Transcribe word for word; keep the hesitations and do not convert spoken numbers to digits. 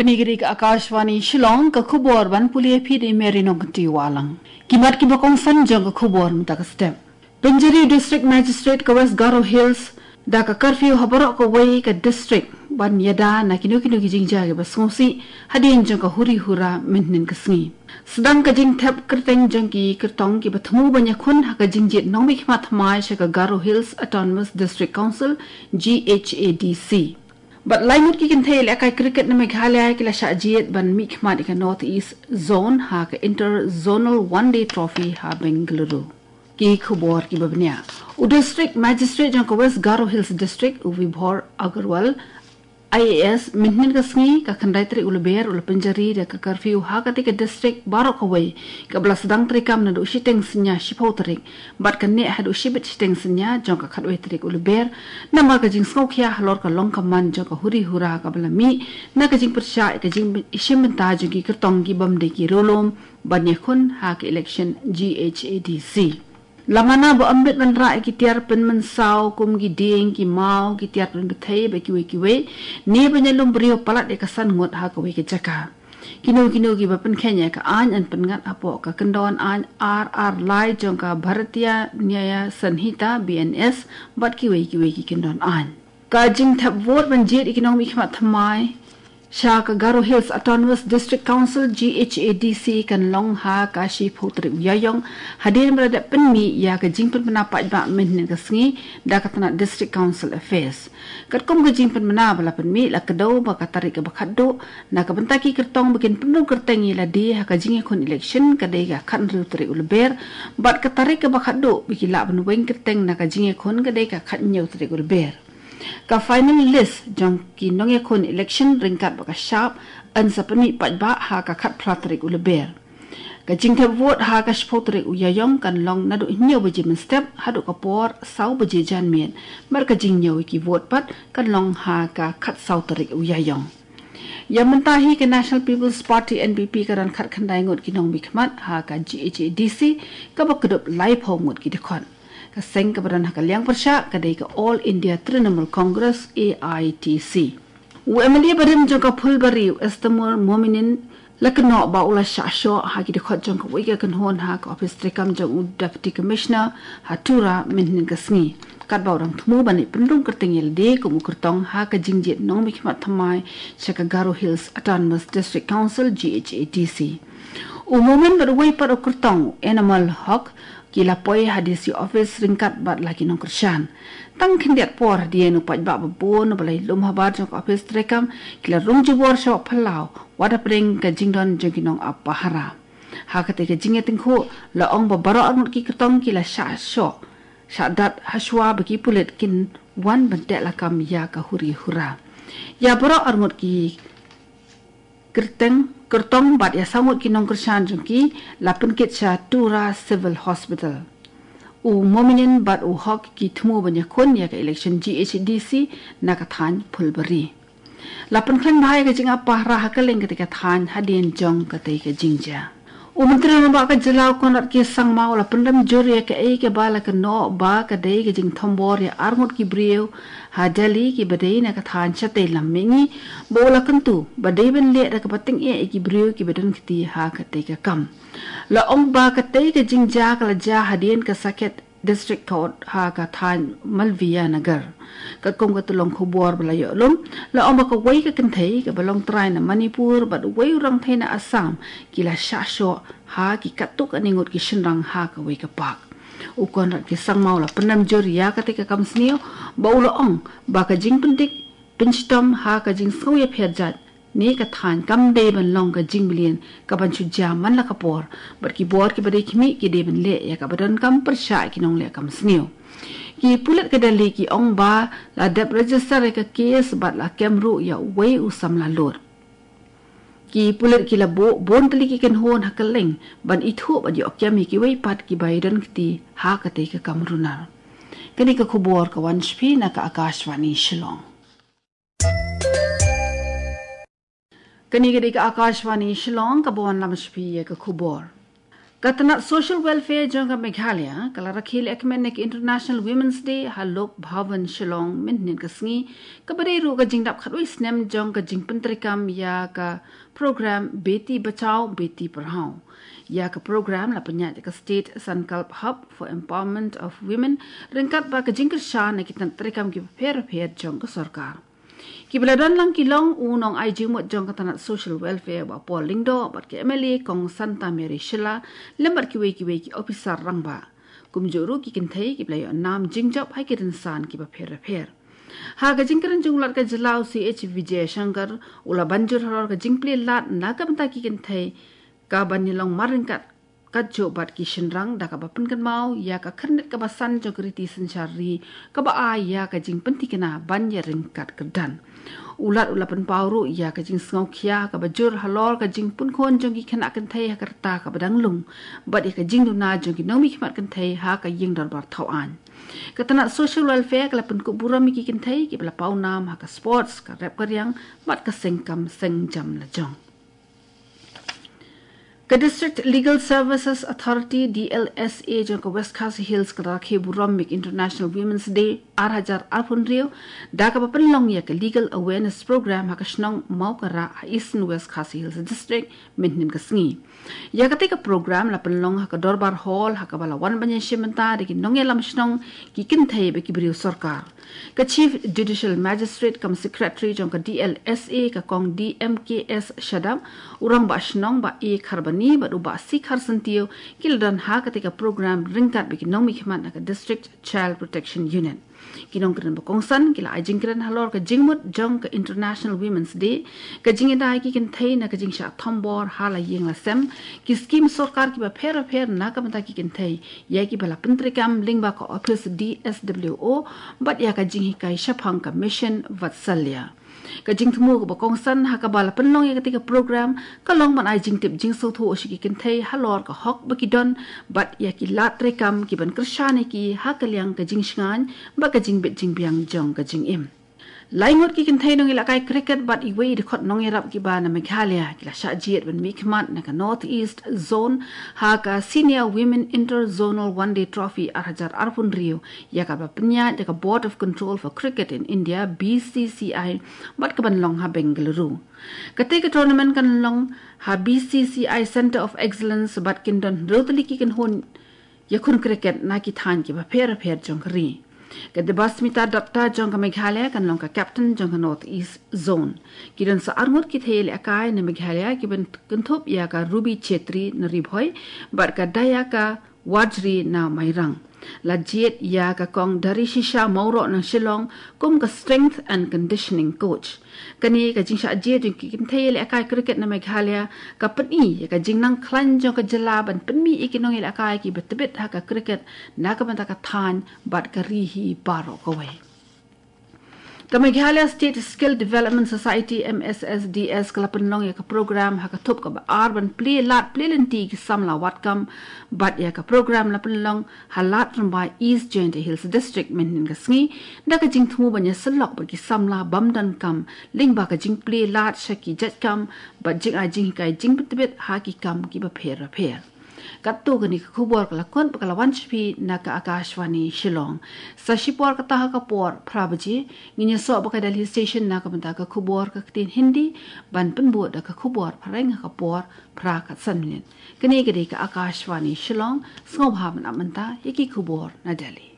Kane ka dei ka Akashvani Shillong, ka khubor ban pule phi da i Mary Nongkynti Wahlang. Ki mat kiba kongsan jong ka khubor mynta ka step. Pynjari u District Magistrate ka West Garo Hills da ka curfew ha baroh kawei ka district ban ïada na kino kino ki jingjia kiba sngewsih hadien jong ka huri hura mynhynnin ka sngi. Sdang ka jingthep kyrteng jong ki kyrtong kiba thmu ban ïakhun ha ka jingjied nongmihkhmat thymmai sha ka Garo Hills Autonomous District Council, G H A D C. Bad lai ngut ki kynthei lehkai cricket na Meghalaya ki la shah jied ban mihkhmat ïa ka North East Zone ha ka Inter Zonal One Day Trophy ha Bengaluru. Ki khubor kiba bniah. U District Magistrate jong ka West Garo Hills District, u Vibhor Agarwal, I A S, mynhynnin ka sngi, ka khyndai tarik u Lber, u la pynjari da ka curfew ha katei ka district baroh kawei, kaba la sdang treikam naduh shiteng synñia shiphew tarik bad ka neh haduh shibit shiteng synñia jong ka khatwei tarik u Lber, namar ka jingsngewkhia halor ka long ka man jong ka huri hura kaba la mih na ka jingpyrshah ïa ka jingshim bynta jong ki kyrtong ki bym dei ki riewlum ban ïakhun ha ka election G H A D C. La mana ba ym bit ban rah ïa ki tiar pynmynsaw kum ki dieng, ki maw, ki tiar pynbthei bad kiwei kiwei, ne ban ïalum briew palat ïa ka san ngut ha kawei ka jaka. Kino kino kiba pynkheiñ ïa ka aiñ yn pynngat hapoh ka kyndon aiñ ar ar lai jong ka Bharatiya Nyaya Sanhita, B N S, bad kiwei kiwei ki kyndon aiñ. Ka jingthep vote ban jied ïa ki nongmihkhmat thymmai sha ka Garo Hills Autonomous District Council, G H A D C, kan long ha ka shiphew tarik u Ïaïong, hadien ba la dep pynmih ïa ka jingpynbna paidbah mynhynnin ka sngi da ka tnat District Council Affairs. Katkum ka jingpynbna ba la pynmih, la kdew ba ka tarik kaba khatduh na ka bynta ki kyrtong ba kin pynrung kyrteng ïa lade ha ka jingïakhun election ka dei ka khathynriew tarik u Lber, bad ka tarik kaba khatduh ba ki lah ban weng kyrteng na ka jingïakhun ka dei ka khathynñiew tarik u Lber. Ka final list jong ki nongïakhun election ryngkat bad ka shap yn sa pynmih paidbah ha ka khatphra tarik u Lber. Ka jingthep vote ha ka shiphew tarik u Ïaïong kan long naduh hynñiew baje mynstep haduh ka por saw baje janmiet, bad ka jingñiew ïa ki vote pat kan long ha ka khatsaw tarik u Ïaïong. Ïa mynta hi ka National People's Party, N P P, ka don khatkhyndai ngut ki nongmihkhmat ha ka G H A D C, kaba kdup laiphew ngut ki dkhot. Ka seng kaba don ha ka liang pyrshah ka dei ka All India Trinamool Congress, A I T C. U M L A barim jong ka Phulbari, u Estamur Mominin, la kynnoh ba u la shah shoh ha ki dkhot jong kawei ka kynhun ha ka ophis treikam jong u Deputy Commissioner ha Tura mynhynnin ka sngi, katba u dang thmu ban leit pynrung kyrteng ïa lade kum u kyrtong ha ka jingjied nongmihkhmat thymmai sha ka Garo Hills Autonomous District Council, G H A D C. U Momin bad uwei pat u kyrtong, u Enamal Hok, ki la poi ha D C office ryngkat bad la ki nongkyrshan. Tang khyndiat por hadien, u paidbah babun uba la ïalum habar jong ka ophis treikam ki la rung jubor sha Phyllaw wat hapdeng ka jingdon jong ki nongap pahara. Ha katei ka jingïatyngkhuh, la ong ba baroh arngut ki kyrtong ki la shah shoh, shah dat hashwa ba ki pulit kin wan ban teh lakam ïa ka huri hura. Ïa baroh arngut ki kyrteng, kyrtong bad ïa saw ngut ki nongkyrshan jong ki la pynkit sha Tura Civil Hospital. U Mominin bad u Hok ki thmu ban ïakhun ïa ka election G H D C na ka thaiñ Phulbari. La pynkhlaiñ bha ïa ka jingap pahara ha kylleng katei ka thaiñ hadien jong katei ka jingjia. U Myntri Rangbah ka jylla, u Conrad K Sangma, u la pynrem jur ïa kaei kaba la kynnoh ba ka dei ka jingthombor ïa arngut ki briew ha Delhi kiba dei na ka thaiñ shatei lam mihngi, ba u la kyntu ba dei ban leh da kaba tyngeh ïa ki briew kiba don kti ha katei ka kam. La ong ba katei ka jingjia ka la jia hadien ka Saket District Court ha ka thaiñ Malviya Nagar. Katkum ka tyllong khubor ba la ïoh lum, la ong ba kawei ka kynthei kaba long trai na Manipur bad uwei u rangthei na Assam ki la shah shoh ha ki katto katne ngut ki shynrang ha kawei ka park. U Conrad K Sangma u la pynrem jur ïa katei ka kam sniew ba u la ong ba ka jingpyndik pynshitom ha ka jingsngew ïapher jait ne ka thaiñ kam dei ban long ka jingmlien kaban shu jia man la ka por, bad ki bor kiba dei khmih ki dei ban leh ïa kaba donkam pyrshah ki nongleh kam sniew. Ki pulit ka Delhi ki ong ba la dep register ïa ka case bad la kem ruh ïa uwei u samla lut. Ki pulit ki la buh bun tylli ki kynhun ha kylleng ban ithuh bad ïoh kem ïa kiwei pat kiba ïadon kti ha katei ka kam runar. Kane ka khubor ka wan sha phi na ka Akashvani Shillong. Kane ka dei ka Akashvani Shillong kaba wanlam sha phi ïa ka khubor. Ka tnat Social Welfare jong ka Meghalaya ka la rakhe lehkmen ïa ka International Women's Day ha Lok Bhavan Shillong mynhynnin ka sngi, kaba dei ruh ka jingdap khatwei snem jong ka jingpyntreikam ïa ka program Beti Bachao Beti Padhao. Ïa ka program la pynïaid da ka State Sankalp Hub for Empowerment of Women ryngkat bad ka jingkyrshan na ki tnat treikam kiba pher bapher jong ka sorkar. Kiba la don lang ki long u nongai jingmut jong ka tnat Social Welfare Bah Paul Lyngdoh bad ka M L A Kong Santa Mary Shylla lem bad kiwei kiwei ki ophisar rangbah. Kumjuh ruh ki kynthei kiba la ïoh nam jingjop ha ki rynsan kiba pher bapher. Ha ka jingkren jong u Lat ka jylla u C H Vijay Shankar u la ban jur halor ka jingplie lad na ka bynta ki kynthei, ka ban ïalong mar ryngkat katjuh bad ki shynrang, da kaba pynkynmaw ïa ka khyrnit kaba san jong ka riti synshar ri, kaba ai ïa ka jingpynthikna ban ïaryngkat kyrdan. U Lat u la pynpaw ruh ïa ka jingsngewkhia kaba jur halor ka jingpunkhun jong ki khynnah kynthei ha ka rta kaba dang lung bad ïa ka jingduna jong ki nongmihkhmat kynthei ha ka ïing dorbar thaw aiñ. Ka tnat Social Welfare ka la pynkup burom ïa ki kynthei kiba la paw nam ha ka sports, ka rep ka riang bad ka seng kam seng jam lajong. Ka District Legal Services Authority, D L S A, jong ka West Khasi Hills ka la rakhe burom ïa ka International Women's Day ar hajar arphew hynriew da kaba pynlong ïa ka Legal Awareness Program ha ka shnong Mawkara ha Eastern West Khasi Hills District mynhynnin ka sngi. Ïa katei ka program la pynlong ha ka Dorbar Hall ha kaba la wan ban ïashim bynta da ki nongïalam shnong, ki kynthei bad ki briew sorkar. Ka Chief Judicial Magistrate cum Secretary jong ka D L S A, ka Kong D M K S Shadap, u Rangbah Shnong Bah A Kharbani bad u Bah C Kharsyntiew ki la don ha katei ka program ryngkat bad ki nongmihkhmat na ka District Child Protection Unit. Ki nongkren ba kongsan ki la ai jingkren halor ka jingmut jong ka International Women's Day, ka jingïada ïa ki kynthei na ka jingshah thombor ha la ïing la sem, ki skim sorkar kiba pher bapher na ka bynta ki kynthei, ïa kiba la pyntreikam lyngba ka ophis D S W O bad ïa ka jinghikai shaphang ka Mission Vatsalya. Ka jingthmu kaba kongsan ha kaba la pynlong ïa katei ka program ka long ban ai jingtip jingsngewthuh sha ki kynthei halor ka hok ba ki don bad ïa ki lad treikam ki ban kyrshan ïa ki ha ka liang ka jingshngaiñ bad ka jingbit jingbiang jong ka jingim. Lai ngut ki kynthei nongïalehkai cricket bad iwei i dkhot nongïarap kiba na Meghalaya ki la shah jied ban mihkhmat na ka North East Zone ha ka Senior Women Inter-Zonal One Day Trophy ar hajar arphew hynriew, ïa kaba pynïaid da ka Board of Control for Cricket in India, B C C I, bad ka ban long ha Bengaluru. Katei ka tournament kan long ha B C C I Centre of Excellence bad kin don hynriew tylli ki kynhun ïakhun cricket na ki thaiñ kiba pher bapher jong ka ri. Ka Debasmita Dutta jong ka Meghalaya kan long ka captain jong ka North East Zone. Ki don sa arngut ki thei ïalehkai na Meghalaya kiban kynthup ïa ka Ruby Chetri na Ri Bhoi bad ka Dayaka Wajri na Mairang. La jied ïa ka Kong Darishisha Mawroh na Shillong kum ka strength and conditioning coach. Kane ka jingshah jied jong ki kynthei ïalehkai cricket na Meghalaya ka pyni ïa ka jingnang khlaiñ jong ka jylla ban pynmih ïa ki nongïalehkai kiba tbit ha ka cricket na ka bynta ka thaiñ bad ka ri hi baroh kawei. Ka Meghalaya State Skill Development Society, M S S D S, ka la pynlong ïa ka program ha ka thup kaba ar ban plie lad plie lynti ki samla wad kam bad ïa ka program la pynlong ha Lad Rymbai, East Jaintia Hills District, mynhynnin ka sngi, da ka jingthmu ban ïasyllok bad ki samla bym don kam lyngba ka jingplie lad sha ki jait kam bad jingai jinghikai jingpyntbit ha ki kam kiba pher bapher. Katto katne ka khubor ka la kut bad ka la wan sha phi na ka Akashvani Shillong. Sa shipor kata ha ka por phra baje ngin ïasoh bad ka Delhi Station na ka bynta ka khubor ka ktien Hindi, ban pynbud da ka khubor phareng ha ka por phra khatsan minit. Kane ka dei ka Akashvani Shillong, sngewbha ban ap mynta ïa ki khubor na Delhi.